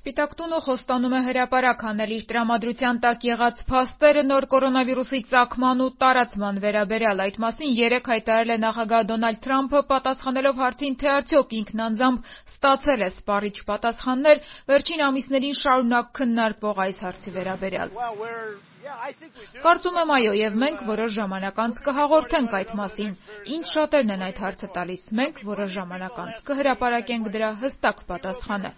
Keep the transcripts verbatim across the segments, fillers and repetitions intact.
Սպիտակ տունը խոստանում է հրապարակ հանել իր տրամադրության տակ եղած փաստերը նոր կորոնավիրուսի ծագման ու տարածման վերաբերյալ։ Այդ մասին երեկ հայտարարել է նախագահ Դոնալդ Թրամփը, պատասխանելով հարցին, թե արդյոք ինքն անձամբ ստացել է սպառիչ պատասխաններ վերջին ամիսներին շարունակ քննարկվող այս հարցի վերաբերյալ։ Կարծում եմ այո, եւ մենք որոշ ժամանակ անց կհաղորդենք այդ մասին։ Ինձ շատերն են այդ հարցը տալիս։ Մենք որոշ ժամանակ անց կհրապարակենք դրա հստակ պատասխանը։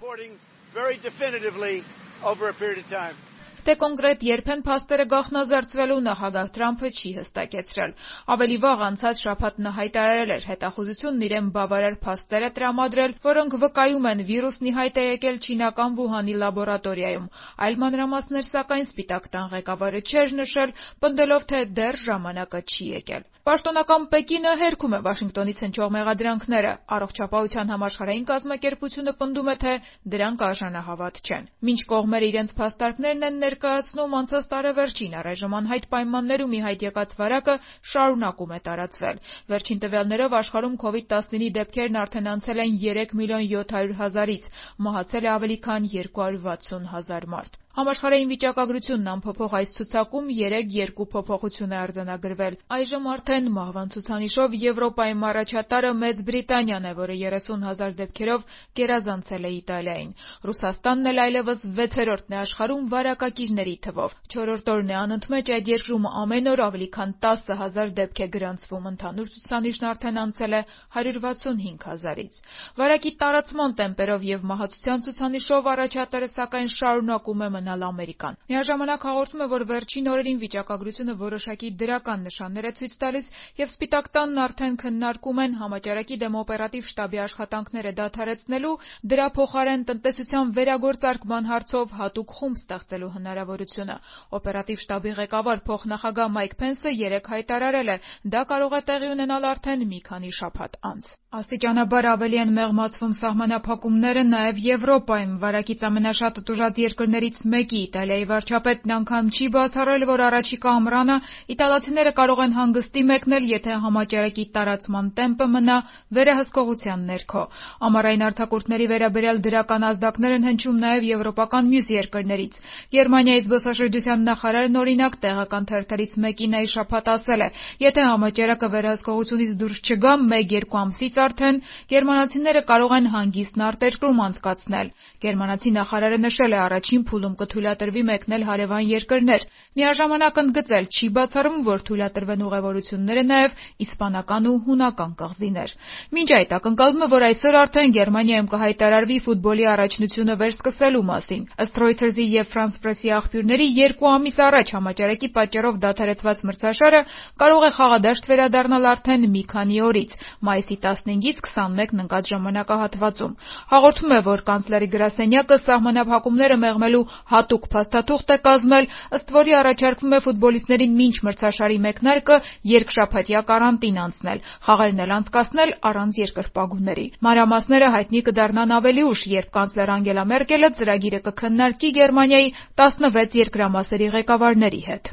Թե կոնկրետ երբ են փաստերը գաղտնազարծվելու, նախագահ Թրամփը չի հստակեցրել։ Ավելի վաղ անցած շաբաթ նա հայտարարել էր հետախուզությունն իրեն բավարար փաստեր է տրամադրել, որոնք վկայում են վիրուսն ի հայտ է եկել չինական Վուհանի լաբորատորիայում։ Այլ մանրամասներ, սակայն, Սպիտակ տան ղեկավարը չէր նշել, պնդելով, թե դեռ ժամանակը չի եկել։ Պաշտոնական Պեկինը հերքում է Վաշինգտոնից հնչող մեղադրանքները։ Առողջապահության համաշխարհային կազմակերպությունը պնդում է, թե դրանք արժանահավատ չեն։ Մինչ կողմերը իրենց փաստարկներն են ներկայացնում, անցած տարեվերջին առայժմ անհայտ պայմաններում ի հայտ եկած վարակը շարունակում է տարածվել։ Վերջին տվյալներով աշխարհում քովիդ տասնինը դեպքերն արդեն անցել են երեք միլիոն յոթ հարյուր հազարից, մահացել է ավելի քան երկու հարյուր վաթսուն հազար մարդ։ Համաշխարհային վիճակագրությունն անփոփոխ այս ցուցակում երեք երկու փոփոխություն է արձանագրվել։ Այժմ արդեն մահվան ցուցանիշով Եվրոպայում առաջատարը Մեծ Բրիտանիան է, որը երեսուն հազար դեպքերով գերազանցել է Իտալիային։ Ռուսաստանն էլ այլևս վեցերորդն է աշխարհում վարակակիրների թվով։ Չորրորդ օրն է անընդմեջ այդ երկրում ամեն օր ավելի քան տասը հազար դեպք է գրանցվում, ընդհանուր ցուցանիշն արդեն անցել է հարյուր վաթսունհինգ հազարից։ Վարակի տարածման տեմպերով եւ մահացության ցուցանիշով առաջատարը սակայն շարունակում է մնալ Ամերիկան։ Միաժամանակ հաղորդում է, որ վերջին օրերին վիճակագրությունը որոշակի դրական նշաններ է ցույց տալիս եւ Սպիտակ տանն արդեն քննարկում են համաճարակի դեմ օպերատիվ շտաբի աշխատանքները դադարեցնելու, դրա փոխարեն տնտեսության վերագործարկման հարցով հատուկ խումբ ստեղծելու հնարավորությունը։ Օպերատիվ շտաբի ղեկավար փոխնախագահ Մայք Փենսը երեկ հայտարարել է, դա կարող է տեղի ունենալ արդեն մի քանի շաբաթ անց։ Աստիճանաբար ավելի են մեղմացվում սահմանափակումները նաև Եվրոպայում։ Վարակից ամենաշատը տուժած երկրներից մեկի Իտալիայի վարչապետն անգամ չի բացառել, որ առաջիկա ամռանը իտալացիները կարող են հանգստի մեկնել, եթե համաճարակի տարածման տեմպը մնա վերահսկողության ներքո։ Ամառային արձակուրդների վերաբերյալ դրական ազդակներ են հնչում նաև եվրոպական մյուս երկրներից։ Գերմանիայի զբոսաշրջության նախարարն օրինակ տեղական թերթերից մեկին այս շաբաթ ասել է, եթե համաճարակը վերահսկողությունից դուրս չգա մեկ-երկու ամսից արդեն գերմանացիները կարող են հանգիստն արտերկրում անցկացնել։ Գերմանացի նախարարը նշել է, առաջին փուլում կթույլատրվի մեկնել հարևան երկրներ։ Միաժամանակ ընդգծել, չի բացառվում, որ թույլատրվեն ուղևորությունները նաև իսպանական ու հունական կղզիներ։ Մինչ այդ ակնկալվում է, որ այսօր արդեն Գերմանիայում կհայտարարվի ֆուտբոլի առաջնությունը վերսկսելու մասին։ Ըստ Reuters-ի եւ France Press-ի աղբյուրների, երկու ամիս առաջ համաճարակի պատճառով դադարեցված մրցաշարը կարող է խաղադաշտ վերադառնալ արդեն մի քանի օրից՝ մայիսի տասնհինգից քսանմեկն ընկած ժամանակահատվածում։ Հաղորդում է, որ կանցլերի գրասենյակը սահմանափակումները մեղմելու հատուկ փաստաթուղթ է կազմել, ըստ որի առաջարկվում է ֆուտբոլիստներին մինչ մրցաշարի մեկնարկը երկշաբաթյա կարանտին անցնել, խաղերն էլ անցկացնել առանց երկրպագուների։ Մանրամասները հայտնի կդառնան ավելի ուշ, երբ կանցլեր Անգելա Մերկելը ծրագիրը կքննարկի Գերմանիայի տասնվեց երկրամասերի ղեկավարների հետ։